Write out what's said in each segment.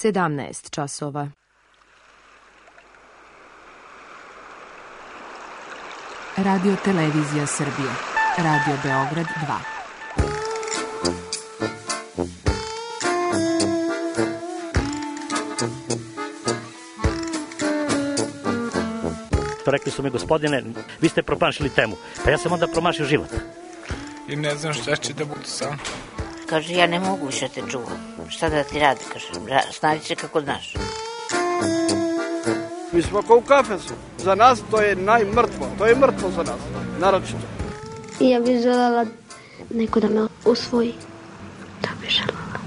17 časova. Radio Televizija Srbije. Radio Beograd 2. Rekli su mi, gospodine, vi ste promašili temu. Pa ja sam onda promašio život. I ne znam šta će da bude sam. Kaže, ja ne mogu više te čuvam. Šta da ti radi, kaže, snađi se kako znaš. Mi smo kao u kafesu. Za nas to je najmrtvo. To je mrtvo za nas, naročito. I ja bih želela neko da me usvoji. To bih želela.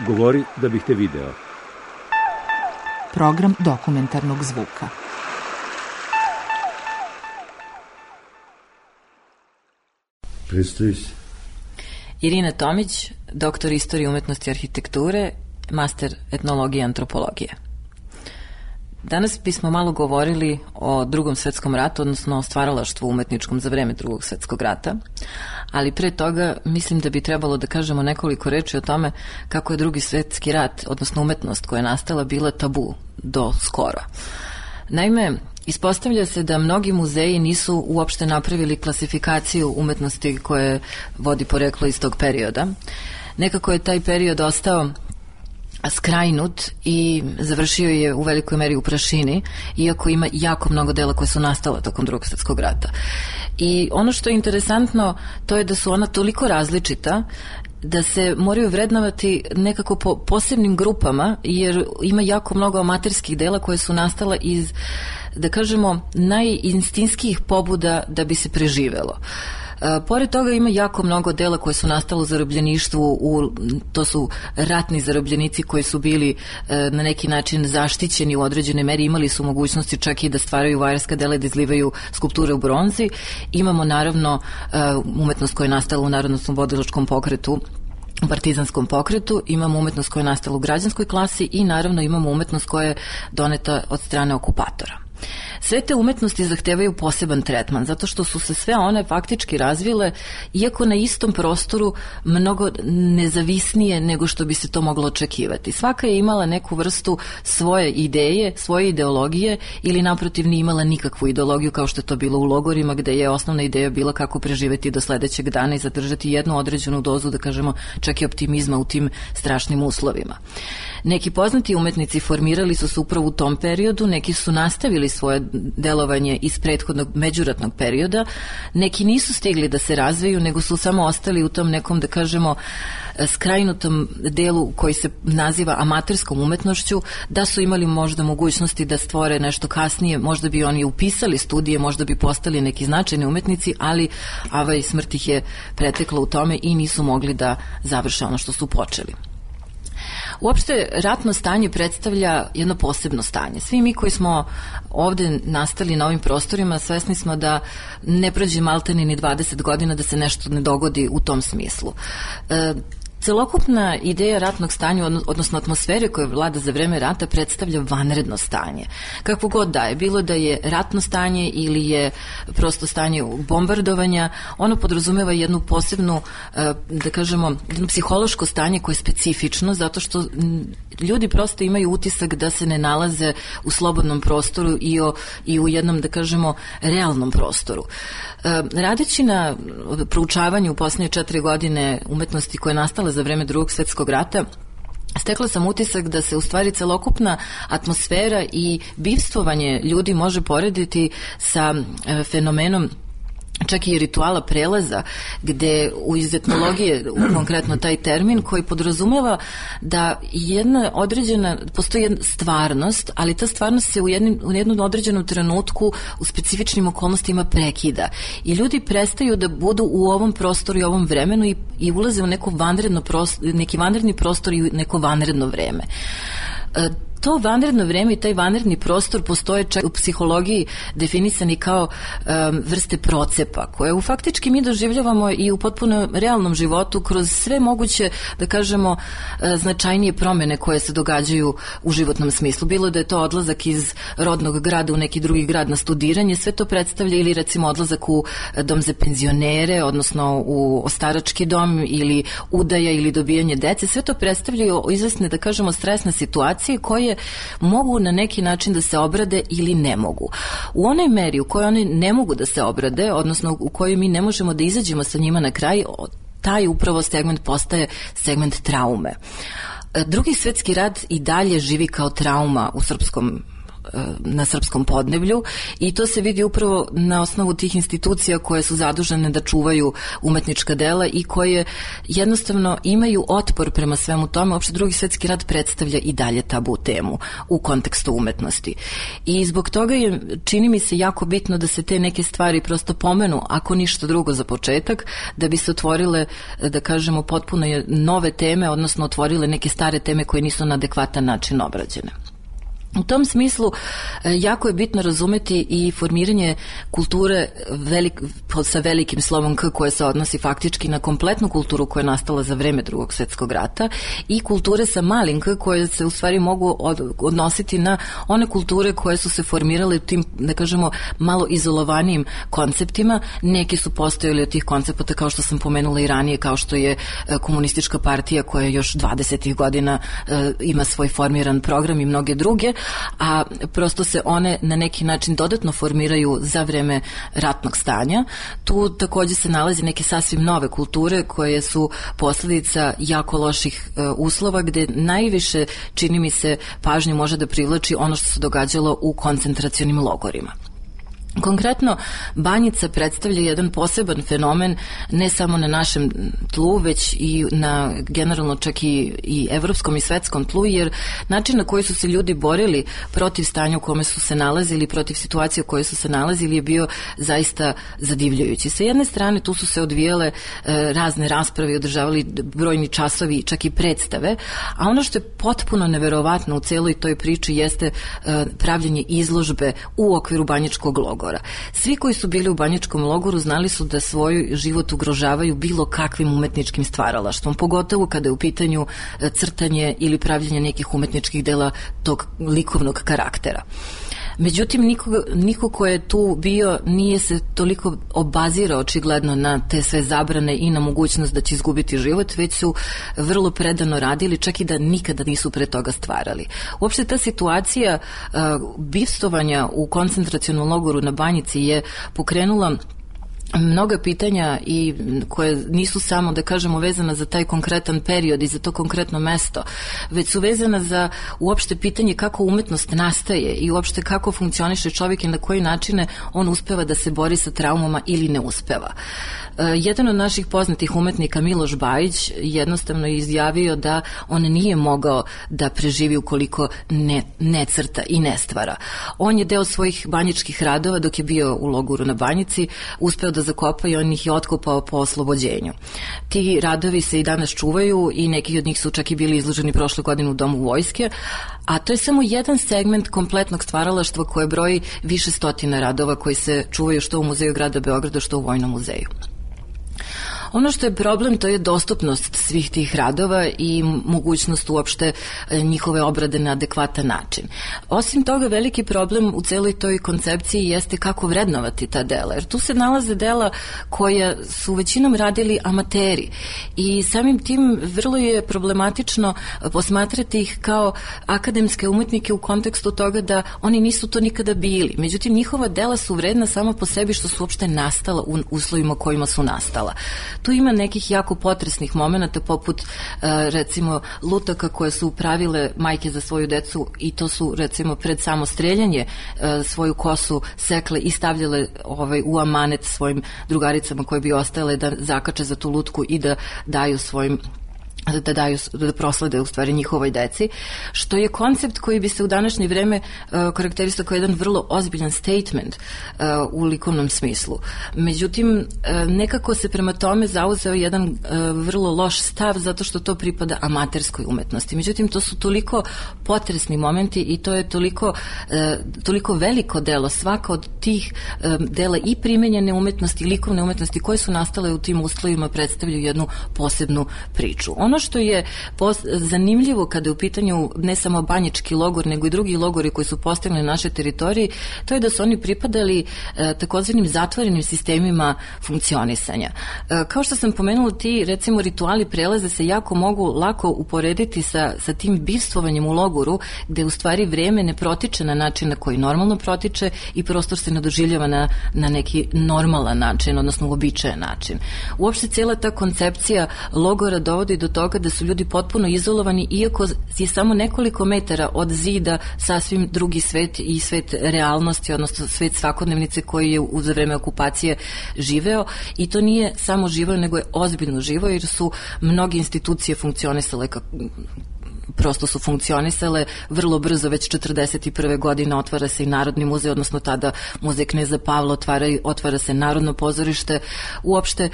Govori da bih te video. Program dokumentarnog zvuka. Predstavi se. Irina Tomić, doktor istorije umetnosti i arhitekture, master etnologije i antropologije. Danas bismo malo govorili o Drugom svetskom ratu, odnosno o stvaralaštvu umetničkom za vreme Drugog svetskog rata, ali pre toga mislim da bi trebalo da kažemo nekoliko reči o tome kako je Drugi svetski rat, odnosno umetnost koja je nastala, bila tabu do skoro. Naime, ispostavlja se da mnogi muzeji nisu uopšte napravili klasifikaciju umetnosti koje vodi poreklo iz tog perioda. Nekako je taj period ostao skrajnut i završio je u velikoj meri u prašini, iako ima jako mnogo dela koje su nastala tokom Drugog svjetskog rata. I ono što je interesantno, to je da su ona toliko različita da se moraju vrednovati nekako po posebnim grupama, jer ima jako mnogo amaterskih dela koje su nastala iz, da kažemo, najinstinskijih pobuda da bi se preživelo. Pored toga ima jako mnogo dela koje su nastalo u zarobljeništvu, to su ratni zarobljenici koji su bili na neki način zaštićeni u određenoj meri, imali su mogućnosti čak i da stvaraju vajarska dela i da izlivaju skulpture u bronzi. Imamo naravno umetnost koja je nastala u narodno-oslobodilačkom pokretu, u partizanskom pokretu, imamo umetnost koja je nastala u građanskoj klasi i naravno imamo umetnost koja je doneta od strane okupatora. Sve te umetnosti zahtevaju poseban tretman, zato što su se sve one faktički razvile, iako na istom prostoru, mnogo nezavisnije nego što bi se to moglo očekivati. Svaka je imala neku vrstu svoje ideje, svoje ideologije, ili naprotiv nije imala nikakvu ideologiju, kao što je to bilo u logorima, gde je osnovna ideja bila kako preživeti do sledećeg dana i zadržati jednu određenu dozu, da kažemo, čak i optimizma u tim strašnim uslovima. Neki poznati umetnici formirali su se upravo u tom periodu, neki su nastavili svoje delovanje iz prethodnog međuratnog perioda, neki nisu stigli da se razviju, nego su samo ostali u tom nekom, da kažemo, skrajnutom delu koji se naziva amaterskom umetnošću. Da su imali možda mogućnosti da stvore nešto kasnije, možda bi oni upisali studije, možda bi postali neki značajni umetnici, ali smrt ih je pretekla u tome i nisu mogli da završe ono što su počeli. Uopšte, ratno stanje predstavlja jedno posebno stanje. Svi mi koji smo ovde nastali na ovim prostorima, svesni smo da ne prođe maltene ni 20 godina da se nešto ne dogodi u tom smislu. Celokupna ideja ratnog stanja, odnosno atmosfere koja vlada za vreme rata, predstavlja vanredno stanje. Kakvo god da je, bilo da je ratno stanje ili je prosto stanje bombardovanja, ono podrazumeva jednu posebnu, da kažemo, jedno psihološko stanje koje je specifično, zato što ljudi prosto imaju utisak da se ne nalaze u slobodnom prostoru i u jednom, da kažemo, realnom prostoru. Radeći na proučavanju u poslednje 4 godine umetnosti koja je nastala za vreme Drugog svetskog rata, stekla sam utisak da se u stvari celokupna atmosfera i bivstvovanje ljudi može porediti sa fenomenom čak i rituala prelaza, gde iz etnologije, konkretno taj termin, koji podrazumeva da jedna određena, postoji jedna stvarnost, ali ta stvarnost se u jednom određenom trenutku u specifičnim okolnostima prekida. I ljudi prestaju da budu u ovom prostoru i ovom vremenu i ulaze u neki vanredni prostor i neko vanredno vreme. to vanredno vreme i taj vanredni prostor postoje čak u psihologiji definisani kao vrste procepa, koje faktički mi doživljavamo i u potpuno realnom životu kroz sve moguće, da kažemo, značajnije promene koje se događaju u životnom smislu. Bilo da je to odlazak iz rodnog grada u neki drugi grad na studiranje, sve to predstavlja, ili recimo odlazak u dom za penzionere, odnosno u ostarački dom, ili udaja ili dobijanje dece, sve to predstavljaju izvesne, da kažemo, stresne situacije koje mogu na neki način da se obrade ili ne mogu. U onoj meri u kojoj one ne mogu da se obrade, odnosno u kojoj mi ne možemo da izađemo sa njima na kraj, taj upravo segment postaje segment traume. Drugi svetski rat i dalje živi kao trauma na srpskom podneblju i to se vidi upravo na osnovu tih institucija koje su zadužene da čuvaju umetnička dela i koje jednostavno imaju otpor prema svemu tome. Uopšte Drugi svetski rat predstavlja i dalje tabu temu u kontekstu umetnosti. I zbog toga je, čini mi se, jako bitno da se te neke stvari prosto pomenu, ako ništa drugo za početak, da bi se otvorile, da kažemo, potpuno nove teme, odnosno otvorile neke stare teme koje nisu na adekvatan način obrađene. U tom smislu jako je bitno razumeti i formiranje kulture sa velikim slovom K, koje se odnosi faktički na kompletnu kulturu koja je nastala za vreme Drugog svjetskog rata, i kulture sa malim K, koje se u stvari mogu odnositi na one kulture koje su se formirale u tim, da kažemo, malo izolovanijim konceptima. Neki su postojali od tih koncepata, kao što sam pomenula i ranije, kao što je komunistička partija koja još 20. godina ima svoj formiran program i mnoge druge, a prosto se one na neki način dodatno formiraju za vreme ratnog stanja. Tu takođe se nalazi neke sasvim nove kulture koje su posledica jako loših uslova, gde najviše, čini mi se, pažnju može da privlači ono što se događalo u koncentracionim logorima. Konkretno, Banjica predstavlja jedan poseban fenomen ne samo na našem tlu, već i na generalno čak i evropskom i svetskom tlu, jer način na koji su se ljudi borili protiv stanja u kome su se nalazili, protiv situacije u kojoj su se nalazili, je bio zaista zadivljujući. Sa jedne strane, tu su se odvijale razne rasprave i održavali brojni časovi, čak i predstave, a ono što je potpuno neverovatno u celoj toj priči jeste pravljenje izložbe u okviru banjičkog logora. Svi koji su bili u banjičkom logoru znali su da svoj život ugrožavaju bilo kakvim umetničkim stvaralaštvom, pogotovo kada je u pitanju crtanje ili pravljenje nekih umetničkih dela tog likovnog karaktera. Međutim, niko ko je tu bio nije se toliko obazirao očigledno na te sve zabrane i na mogućnost da će izgubiti život, već su vrlo predano radili, čak i da nikada nisu pre toga stvarali. Uopšte ta situacija bivstovanja u koncentracionom logoru na Banjici je pokrenula mnoga pitanja i koje nisu samo, da kažemo, vezana za taj konkretan period i za to konkretno mesto, već su vezana za uopšte pitanje kako umetnost nastaje i uopšte kako funkcioniše čovjek i na koji načine on uspeva da se bori sa traumama ili ne uspeva. Jedan od naših poznatih umetnika, Miloš Bajić, jednostavno je izjavio da on nije mogao da preživi ukoliko ne crta i ne stvara. On je deo svojih banjičkih radova dok je bio u logoru na Banjici uspeo da zakopa i on ih je otkopao po oslobođenju. Ti radovi se i danas čuvaju i neki od njih su čak i bili izloženi prošle godine u Domu vojske, a to je samo jedan segment kompletnog stvaralaštva koje broji više stotina radova koji se čuvaju što u Muzeju grada Beograda, što u Vojnom muzeju. Ono što je problem, to je dostupnost svih tih radova i mogućnost uopšte njihove obrade na adekvatan način. Osim toga, veliki problem u celoj toj koncepciji jeste kako vrednovati ta dela, jer tu se nalaze dela koja su većinom radili amateri i samim tim vrlo je problematično posmatrati ih kao akademske umetnike u kontekstu toga da oni nisu to nikada bili. Međutim, njihova dela su vredna samo po sebi što su uopšte nastala u uslovima kojima su nastala. Tu ima nekih jako potresnih momenata, poput recimo lutaka koje su pravile majke za svoju decu i to su recimo pred samo streljanje svoju kosu sekle i stavljale u amanet svojim drugaricama koje bi ostajale da zakače za tu lutku i da daju svojim da proslede u stvari njihovoj deci, što je koncept koji bi se u današnje vreme karakterisao kao jedan vrlo ozbiljan statement u likovnom smislu. Međutim, nekako se prema tome zauzeo jedan vrlo loš stav zato što to pripada amaterskoj umetnosti. Međutim, to su toliko potresni momenti i to je toliko veliko delo. Svaka od tih dela i primenjene umetnosti i likovne umetnosti koje su nastale u tim uslovima predstavljaju jednu posebnu priču. Ono što je zanimljivo kada je u pitanju ne samo Banjički logor, nego i drugi logori koji su postavljeni na našoj teritoriji, to je da su oni pripadali takozvanim zatvorenim sistemima funkcionisanja. Kao što sam pomenula, ti recimo rituali prelaze se jako mogu lako uporediti sa tim bivstvovanjem u logoru, gde u stvari vreme ne protiče na način na koji normalno protiče i prostor se ne doživljava na neki normalan način, odnosno uobičajen način. Uopšte cijela ta koncepcija logora dovodi do toga da su ljudi potpuno izolovani, iako je samo nekoliko metara od zida sasvim drugi svet i svet realnosti, odnosno svet svakodnevnice koji je za vreme okupacije živeo, i to nije samo živeo, nego je ozbiljno živeo, jer su mnoge institucije funkcionisale prosto su funkcionisale vrlo brzo. Već 1941. godine otvara se i Narodni muzej, odnosno tada muzej Kneza Pavla, otvara se Narodno pozorište. Uopšte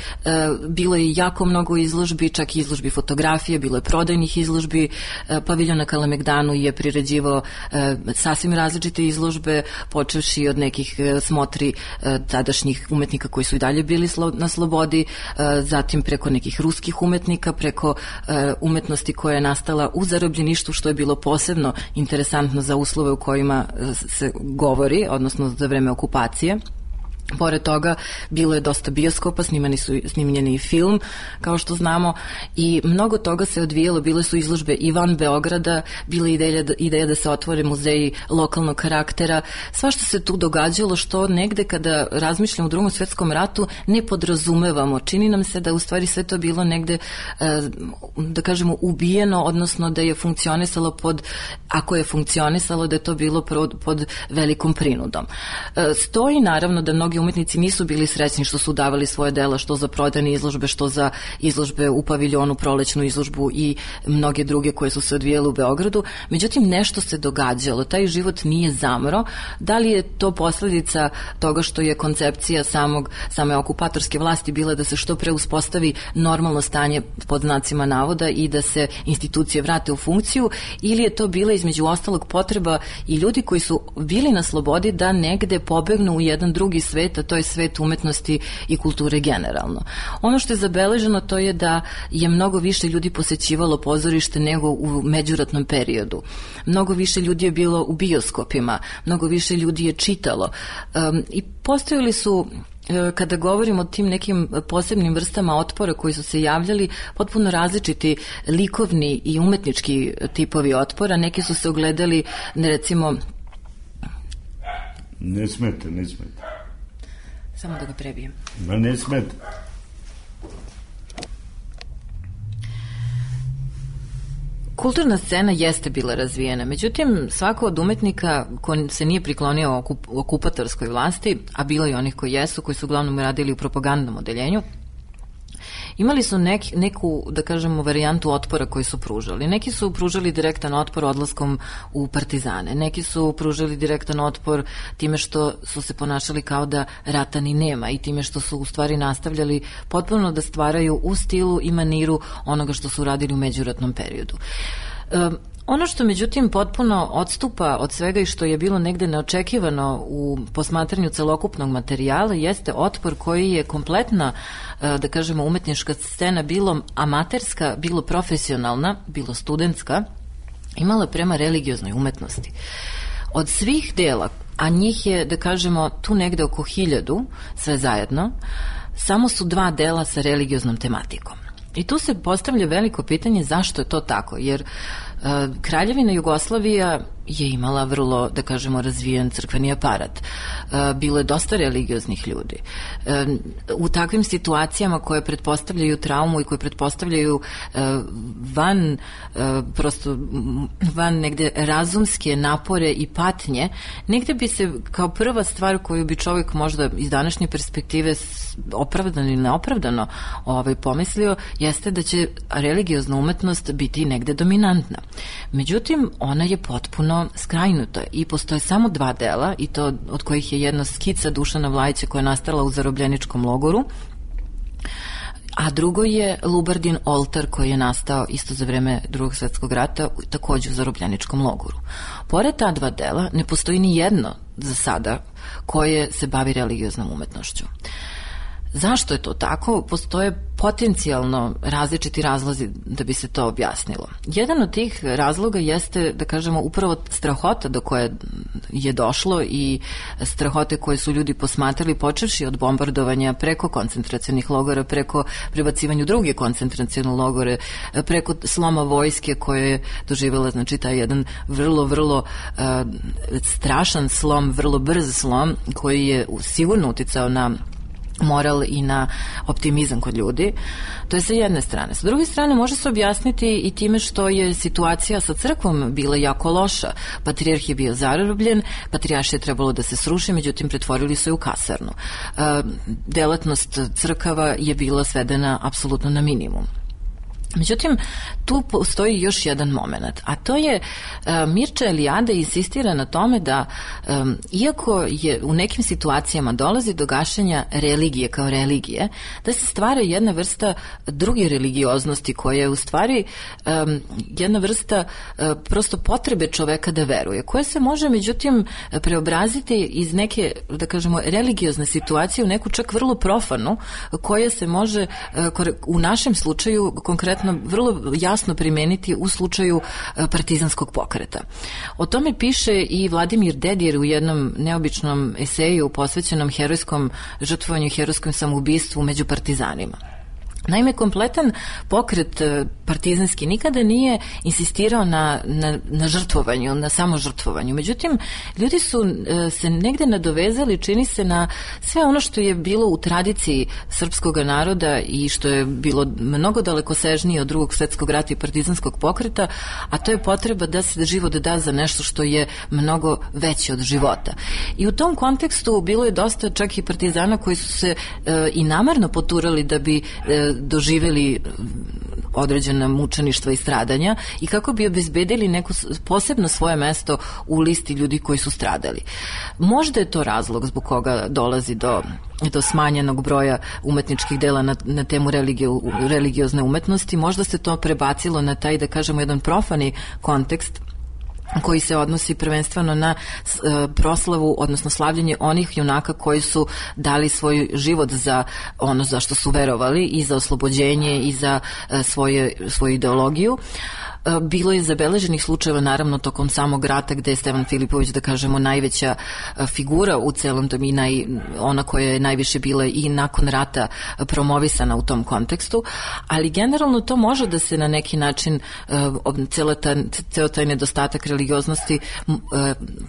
bilo je jako mnogo izložbi, čak i izložbi fotografije, bilo je prodajnih izložbi. Paviljon na Kalemegdanu je priređivao sasvim različite izložbe, počevši od nekih smotri tadašnjih umetnika koji su i dalje bili na slobodi, zatim preko nekih ruskih umetnika, preko umetnosti koja je nastala u zarobljeništvu, što je bilo posebno interesantno za uslove u kojima se govori, odnosno za vreme okupacije. Pored toga, bilo je dosta bioskopa, snimljen i film, kao što znamo, i mnogo toga se odvijalo. Bile su izložbe i van Beograda, bila je ideja da se otvore muzeji lokalnog karaktera. Svašta se tu događalo, što negde kada razmišljamo o Drugom svetskom ratu ne podrazumevamo. Čini nam se da u stvari sve to bilo negde, da kažemo, ubijeno, odnosno da je funkcionisalo ako je funkcionisalo, da je to bilo pod velikom prinudom. Stoji naravno da mnogi umetnici nisu bili srećni što su davali svoje dela, što za prodajne izložbe, što za izložbe u paviljonu, prolećnu izložbu i mnoge druge koje su se odvijale u Beogradu. Međutim, nešto se događalo. Taj život nije zamro. Da li je to posledica toga što je koncepcija same okupatorske vlasti bila da se što pre uspostavi normalno stanje pod znacima navoda i da se institucije vrate u funkciju, ili je to bila između ostalog potreba i ljudi koji su bili na slobodi da negde pobegnu u jedan drugi svet, a to je svet umetnosti i kulture generalno. Ono što je zabeleženo, to je da je mnogo više ljudi posećivalo pozorište nego u međuratnom periodu. Mnogo više ljudi je bilo u bioskopima, mnogo više ljudi je čitalo. I postojali su, kada govorimo o tim nekim posebnim vrstama otpora koji su se javljali, potpuno različiti likovni i umetnički tipovi otpora. Neki su se ogledali, recimo... Ne smete. Samo da ga prebijem. Ma ne smete. Kulturna scena jeste bila razvijena, međutim svako od umetnika ko se nije priklonio okupatorskoj vlasti, a bilo i onih koji jesu, koji su uglavnom radili u propagandnom odeljenju, imali su neku, da kažemo, varijantu otpora koji su pružali. Neki su pružali direktan otpor odlaskom u partizane, neki su pružali direktan otpor time što su se ponašali kao da rata ni nema i time što su u stvari nastavljali potpuno da stvaraju u stilu i maniru onoga što su radili u međuratnom periodu. Ono što međutim potpuno odstupa od svega i što je bilo negde neočekivano u posmatranju celokupnog materijala jeste otpor koji je kompletna, da kažemo, umetnička scena, bilo amaterska, bilo profesionalna, bilo studentska, imala prema religioznoj umetnosti. Od svih dela, a njih je, da kažemo, tu negde oko 1000, sve zajedno, samo su 2 dela sa religioznom tematikom. I tu se postavlja veliko pitanje zašto je to tako, jer Kraljevina Jugoslavija je imala vrlo, da kažemo, razvijen crkveni aparat. Bilo je dosta religioznih ljudi. U takvim situacijama koje pretpostavljaju traumu i koje pretpostavljaju van negde razumske napore i patnje, negde bi se kao prva stvar koju bi čovjek možda iz današnje perspektive opravdano ili neopravdano pomislio, jeste da će religiozna umetnost biti negde dominantna. Međutim, ona je potpuno skrajnuta i postoje samo 2 dela, i to od kojih je jedno skica Dušana Vlajića koja je nastala u zarobljeničkom logoru, a drugo je Lubardin oltar koji je nastao isto za vreme Drugog svjetskog rata, takođe u zarobljeničkom logoru. Pored ta 2 dela ne postoji ni jedno za sada koje se bavi religioznom umetnošću. Zašto je to tako? Postoje potencijalno različiti razlozi da bi se to objasnilo. Jedan od tih razloga jeste, da kažemo, upravo strahota do koje je došlo i strahote koje su ljudi posmatrali, počevši od bombardovanja preko koncentracionih logora, preko prebacivanja u druge koncentracione logore, preko sloma vojske koje je doživjela, znači, taj jedan vrlo strašan slom, vrlo brz slom koji je sigurno uticao na moral i na optimizam kod ljudi. To je sa jedne strane. Sa druge strane može se objasniti i time što je situacija sa crkvom bila jako loša. Patrijarh je bio zarobljen, patrijaršija je trebalo da se sruši, međutim pretvorili su je u kasarnu. Delatnost crkava je bila svedena apsolutno na minimum. Međutim, tu postoji još jedan moment, a to je Mirča Eliade insistira na tome da iako je u nekim situacijama dolazi do gašenja religije kao religije, da se stvara jedna vrsta druge religioznosti koja je u stvari jedna vrsta prosto potrebe čoveka da veruje, koja se može međutim preobraziti iz neke, da kažemo, religiozne situacije u neku čak vrlo profanu, koja se može u našem slučaju konkretno vrlo jasno primeniti u slučaju partizanskog pokreta. O tome piše i Vladimir Dedijer u jednom neobičnom eseju posvećenom herojskom žrtvovanju i herojskom samoubistvu među partizanima. Naime, kompletan pokret partizanski nikada nije insistirao na žrtvovanju, na samožrtvovanju. Međutim, ljudi su se negde nadovezali, čini se, na sve ono što je bilo u tradiciji srpskog naroda i što je bilo mnogo dalekosežnije od Drugog svjetskog rata i partizanskog pokreta, a to je potreba da se život da za nešto što je mnogo veće od života. I u tom kontekstu bilo je dosta čak i partizana koji su se i namerno poturali da bi doživeli određena mučeništva i stradanja i kako bi obezbedili neko posebno svoje mesto u listi ljudi koji su stradali. Možda je to razlog zbog koga dolazi do smanjenog broja umetničkih dela na temu religiozne umetnosti. Možda se to prebacilo na taj, da kažemo, jedan profani kontekst koji se odnosi prvenstveno na proslavu, odnosno slavljenje onih junaka koji su dali svoj život za ono za što su verovali i za oslobođenje i za svoju ideologiju. Bilo je zabeleženih slučajeva, naravno, tokom samog rata gde je Stevan Filipović, da kažemo, najveća figura u celom tom i ona koja je najviše bila i nakon rata promovisana u tom kontekstu, ali generalno to može da se na neki način ceo taj nedostatak religioznosti,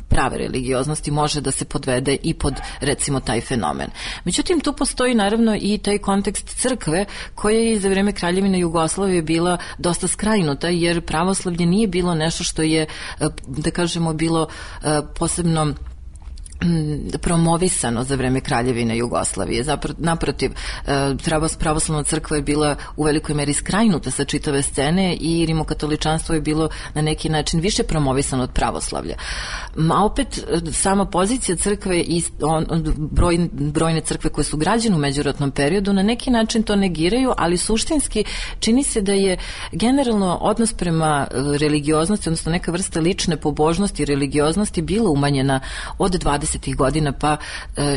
prave religioznosti, može da se podvede i pod, recimo, taj fenomen. Međutim, tu postoji naravno i taj kontekst crkve koja je za vreme Kraljevine Jugoslavije bila dosta skrajnuta, jer pravoslavlje nije bilo nešto što je, da kažemo, bilo posebno promovisano za vreme Kraljevine Jugoslavije. Naprotiv, pravoslavna crkva je bila u velikoj meri skrajnuta sa čitave scene i rimokatoličanstvo je bilo na neki način više promovisano od pravoslavlja. A opet, sama pozicija crkve i brojne crkve koje su građene u međuratnom periodu na neki način to negiraju, ali suštinski čini se da je generalno odnos prema religioznosti, odnosno neka vrsta lične pobožnosti i religioznosti bila umanjena od 20. godina, pa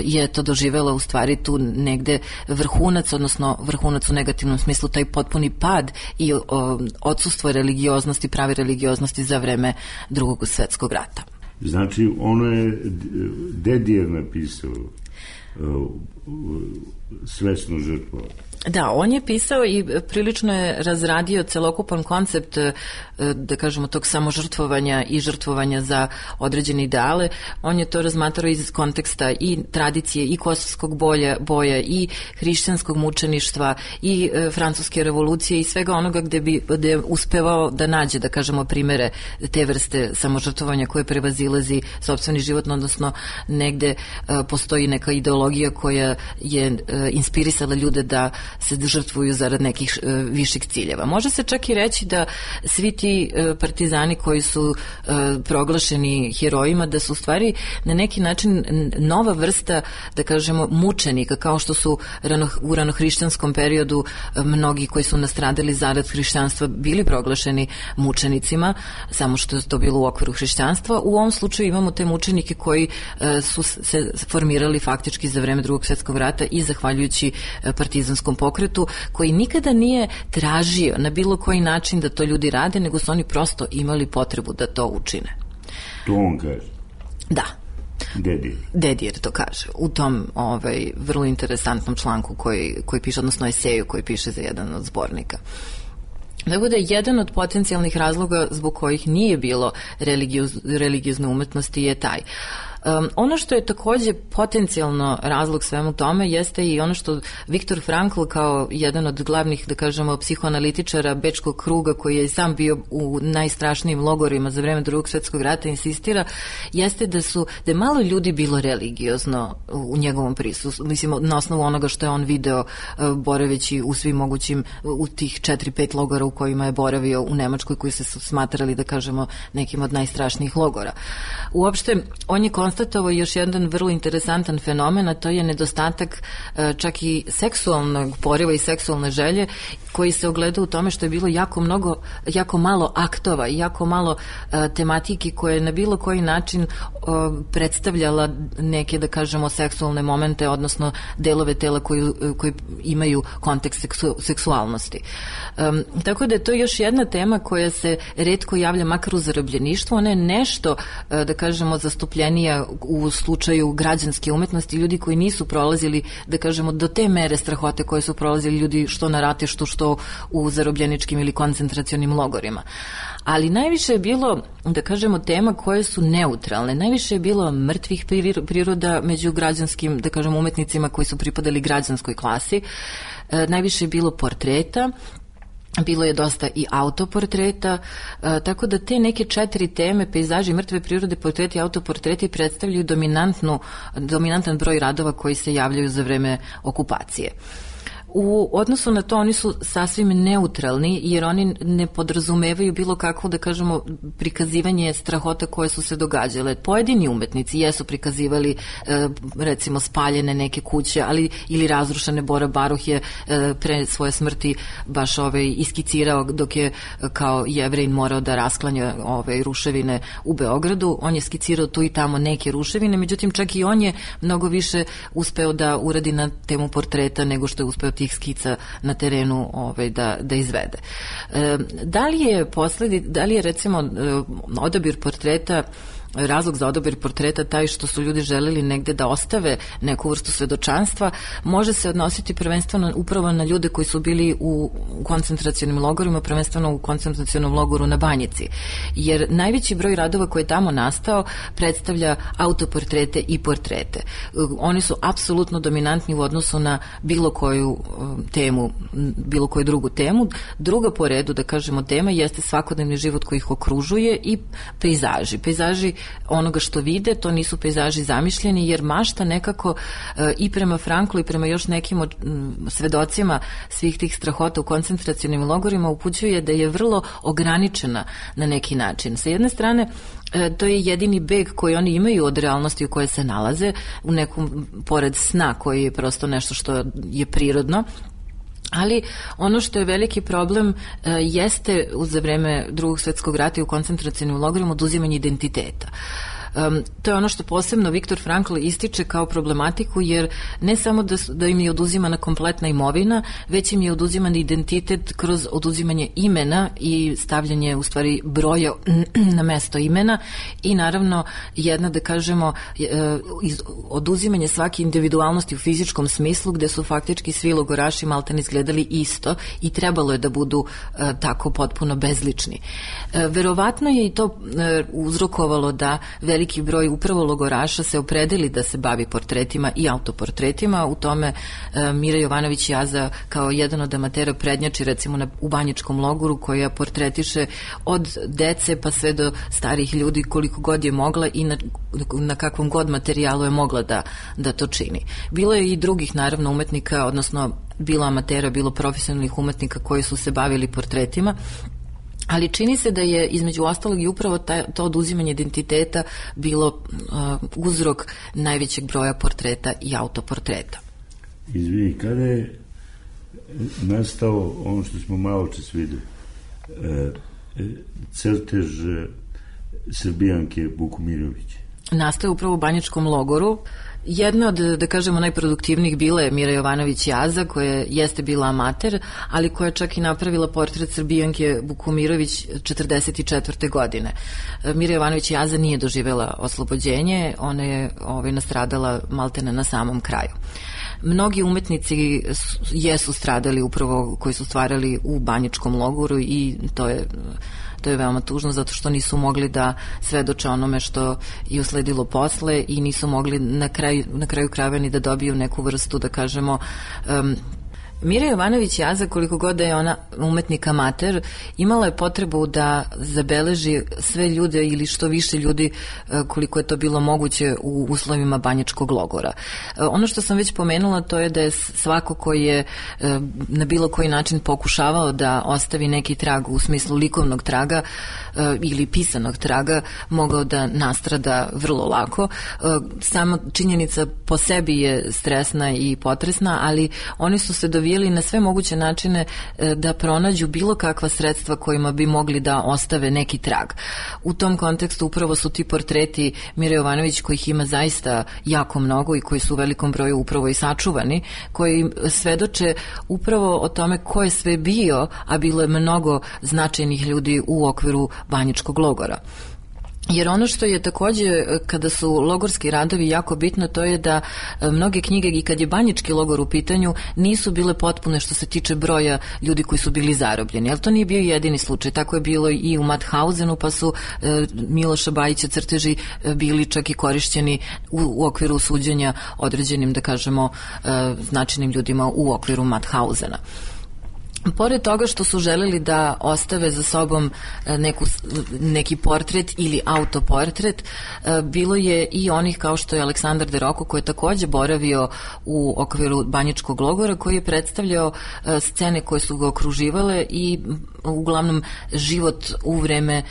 je to doživela u stvari tu negde vrhunac, odnosno vrhunac u negativnom smislu, taj potpuni pad i odsustvo religioznosti, prave religioznosti za vreme Drugog svjetskog rata. Znači, ono je Dedijer napisao. svesno žrtvovati. Da, on je pisao i prilično je razradio celokupan koncept, da kažemo, tog samožrtvovanja i žrtvovanja za određene ideale. On je to razmatrao iz konteksta i tradicije i kosovskog boja i hrišćanskog mučeništva i francuske revolucije i svega onoga gde je uspevao da nađe, da kažemo, primere te vrste samožrtvovanja koje prevazilazi sopstveni život, odnosno negde postoji neka ideologija koja je inspirisala ljude da se žrtvuju zarad nekih viših ciljeva. Može se čak i reći da svi ti partizani koji su proglašeni herojima, da su u stvari na neki način nova vrsta, da kažemo, mučenika, kao što su u ranohrišćanskom periodu mnogi koji su nastradali zarad hrišćanstva bili proglašeni mučenicima, samo što je to bilo u okviru hrišćanstva. U ovom slučaju imamo te mučenike koji su se formirali faktički za vreme Drugog svjetskog rata i zahvaljujući partizanskom pokretu, koji nikada nije tražio na bilo koji način da to ljudi rade, nego su oni prosto imali potrebu da to učine. To on kaže? Da. Dedijer to kaže u tom vrlo interesantnom članku koji piše, odnosno eseju koji piše za jedan od zbornika. Tako da jedan od potencijalnih razloga zbog kojih nije bilo religiozne umetnosti je taj. Ono što je takođe potencijalno razlog svemu tome jeste i ono što Viktor Frankl kao jedan od glavnih, da kažemo, psihoanalitičara bečkog kruga, koji je sam bio u najstrašnijim logorima za vreme Drugog svjetskog rata, insistira, jeste da je malo ljudi bilo religiozno u njegovom prisustvu. Mislim, na osnovu onoga što je on video boraveći u svim mogućim, u tih 4-5 logora u kojima je boravio u Nemačkoj, koji se su smatrali, da kažemo, nekim od najstrašnijih logora. Uopšte, on je konstatovao još jedan vrlo interesantan fenomen, a to je nedostatak čak i seksualnog poriva i seksualne želje, koji se ogleda u tome što je bilo jako malo aktova i jako malo tematike koje je na bilo koji način predstavljala neke, da kažemo, seksualne momente, odnosno delove tela koji imaju kontekst seksualnosti. Tako da je to još jedna tema koja se retko javlja, makar u zarobljeništvu. Ona je nešto, da kažemo, zastupljenija u slučaju građanske umetnosti, ljudi koji nisu prolazili, da kažemo, do te mere strahote koje su prolazili ljudi što na ratištu, što u zarobljeničkim ili koncentracionim logorima. Ali najviše je bilo, da kažemo, tema koje su neutralne. Najviše je bilo mrtvih priroda među građanskim, da kažemo, umetnicima koji su pripadali građanskoj klasi. Najviše je bilo portreta, bilo je dosta i autoportreta, tako da te neke 4 teme, pejzaži, mrtve prirode, portreti i autoportreti, predstavljaju dominantan broj radova koji se javljaju za vreme okupacije. U odnosu na to oni su sasvim neutralni, jer oni ne podrazumevaju bilo kakvo, da kažemo, prikazivanje strahota koje su se događale. Pojedini umetnici jesu prikazivali recimo spaljene neke kuće, ali ili razrušene. Bora Baruh je pre svoje smrti baš iskicirao dok je kao Jevrejin morao da rasklanja ruševine u Beogradu. On je skicirao tu i tamo neke ruševine, međutim čak i on je mnogo više uspeo da uradi na temu portreta nego što je uspeo tih skica na terenu da izvede. Da li je recimo odabir portreta, razlog za odabir portreta taj što su ljudi želeli negde da ostave neku vrstu svedočanstva, može se odnositi prvenstveno upravo na ljude koji su bili u koncentracionim logorima, prvenstveno u koncentracionom logoru na Banjici. Jer najveći broj radova koji je tamo nastao predstavlja autoportrete i portrete. Oni su apsolutno dominantni u odnosu na bilo koju temu, bilo koju drugu temu. Druga po redu, da kažemo, tema jeste svakodnevni život koji ih okružuje i pejzaži. Pejzaži onoga što vide, to nisu pejzaži zamišljeni, jer mašta nekako i prema Franklu i prema još nekim svedocima svih tih strahota u koncentracionim logorima upućuje da je vrlo ograničena na neki način. Sa jedne strane, to je jedini beg koji oni imaju od realnosti u kojoj se nalaze, u nekom pored sna koji je prosto nešto što je prirodno. Ali ono što je veliki problem jeste za vreme Drugog svjetskog rata i u koncentracionim logorima oduzimanje identiteta. to je ono što posebno Viktor Frankl ističe kao problematiku, jer ne samo da im je oduzimana kompletna imovina, već im je oduziman identitet kroz oduzimanje imena i stavljanje u stvari broja na mesto imena i naravno jedna, da kažemo, oduzimanje svake individualnosti u fizičkom smislu, gde su faktički svi logoraši maltene izgledali isto i trebalo je da budu tako potpuno bezlični. Verovatno je i to uzrokovalo da veliki broj upravo logoraša se opredeli da se bavi portretima i autoportretima. U tome Mira Jovanović Jaza kao jedan od amatera prednjači recimo u Banjičkom logoru, koja portretiše od dece pa sve do starih ljudi koliko god je mogla i na kakvom god materijalu je mogla da to čini. Bilo je i drugih naravno umetnika, odnosno bilo amatera, bilo profesionalnih umetnika koji su se bavili portretima, ali čini se da je između ostalog i upravo to oduzimanje identiteta bilo uzrok najvećeg broja portreta i autoportreta. Izvini, kada je nastao ono što smo malo čas videli, crtež Srbijanke Vukomirović? Nastao je upravo u Banjičkom logoru. Jedna od, da kažemo, najproduktivnijih bila je Mira Jovanović Jaza, koja jeste bila amater, ali koja čak i napravila portret Srbijanke Vukomirović 1944. godine. Mira Jovanović Jaza nije doživela oslobođenje, ona je nastradala maltene na samom kraju. Mnogi umetnici jesu stradali upravo koji su stvarali u Banjičkom logoru i to je veoma tužno zato što nisu mogli da svedoče onome što je usledilo posle i nisu mogli na kraju krajeva ni da dobiju neku vrstu, da kažemo, Mira Jovanović Jaza, koliko god da je ona umetnik amater, imala je potrebu da zabeleži sve ljude ili što više ljudi koliko je to bilo moguće u uslovima Banjičkog logora. Ono što sam već pomenula, to je da je svako koji je na bilo koji način pokušavao da ostavi neki trag u smislu likovnog traga ili pisanog traga, mogao da nastrada vrlo lako. Sama činjenica po sebi je stresna i potresna, ali oni su se dovijeli na sve moguće načine da pronađu bilo kakva sredstva kojima bi mogli da ostave neki trag. U tom kontekstu upravo su ti portreti Mire Jovanović, kojih ima zaista jako mnogo i koji su u velikom broju upravo i sačuvani, koji svedoče upravo o tome ko je sve bio, a bilo je mnogo značajnih ljudi u okviru Banjičkog logora. Jer ono što je takođe, kada su logorski radovi jako bitno, to je da mnoge knjige, i kad je Banjički logor u pitanju, nisu bile potpune što se tiče broja ljudi koji su bili zarobljeni. Ali to nije bio jedini slučaj. Tako je bilo i u Mathausenu, pa su Miloša Bajića crteži bili čak i korišćeni u okviru suđenja određenim, da kažemo, značajnim ljudima u okviru Mathausena. Pored toga što su želeli da ostave za sobom neki portret ili autoportret, bilo je i onih kao što je Aleksandar de Roko, koji je takođe boravio u okviru Banjičkog logora, koji je predstavljao scene koje su ga okruživale i uglavnom život u vreme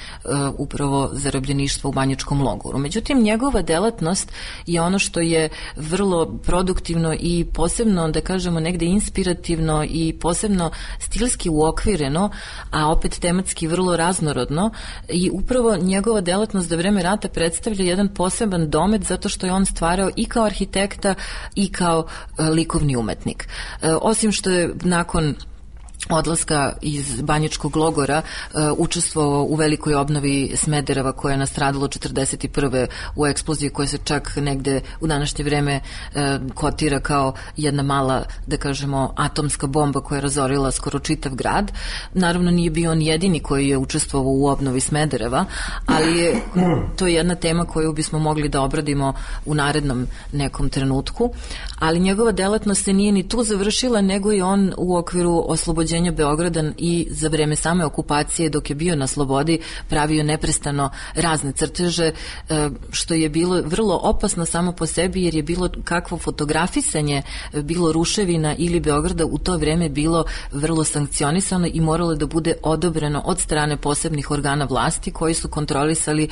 upravo zarobljeništva u Banjičkom logoru. Međutim, njegova delatnost je ono što je vrlo produktivno i posebno, da kažemo, negde inspirativno i posebno stilski uokvireno, a opet tematski vrlo raznorodno, i upravo njegova delatnost za vreme rata predstavlja jedan poseban domet zato što je on stvarao i kao arhitekta i kao likovni umetnik. Osim što je nakon odlaska iz Banjičkog logora učestvovao u velikoj obnovi Smedereva koja je nastradalo 1941. u eksploziji koja se čak negde u današnje vreme kotira kao jedna mala, da kažemo, atomska bomba koja je razorila skoro čitav grad. Naravno nije bio on jedini koji je učestvovao u obnovi Smedereva, ali to je jedna tema koju bismo mogli da obradimo u narednom nekom trenutku, ali njegova delatnost se nije ni tu završila, nego i on u okviru oslobođenja Beograda i za vreme same okupacije, dok je bio na slobodi, pravio neprestano razne crteže, što je bilo vrlo opasno samo po sebi, jer je bilo kakvo fotografisanje, bilo ruševina ili Beograda u to vreme bilo vrlo sankcionisano i moralo da bude odobreno od strane posebnih organa vlasti koji su kontrolisali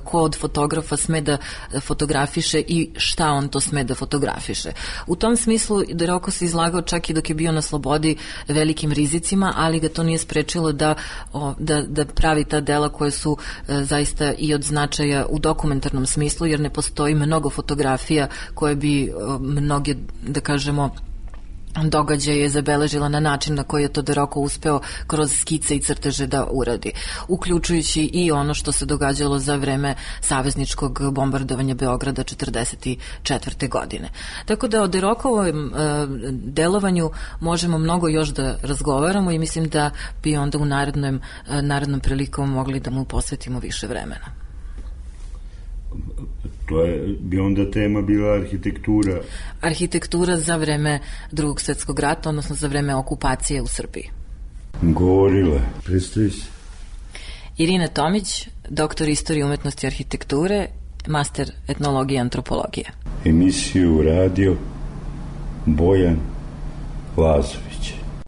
ko od fotografa sme da fotografiše i šta on to sme da fotografiše. U tom smislu de Roko se izlagao čak i dok je bio na slobodi velikim fizicima, ali ga to nije sprečilo da pravi ta dela koje su zaista i od značaja u dokumentarnom smislu, jer ne postoji mnogo fotografija koje bi mnoge, da kažemo, događaje zabeležila na način na koji je Todoroko uspeo kroz skice i crteže da uradi, uključujući i ono što se događalo za vreme savezničkog bombardovanja Beograda 1944. godine. Tako da o Derokovom delovanju možemo mnogo još da razgovaramo i mislim da bi onda u narednom prilikom mogli da mu posvetimo više vremena. Bi onda tema bila arhitektura? Arhitektura za vreme Drugog svjetskog rata, odnosno za vreme okupacije u Srbiji. Govorila, predstavi se. Irina Tomić, doktor istorije umetnosti i arhitekture, master etnologije i antropologije. Emisiju radio Bojan Lazović.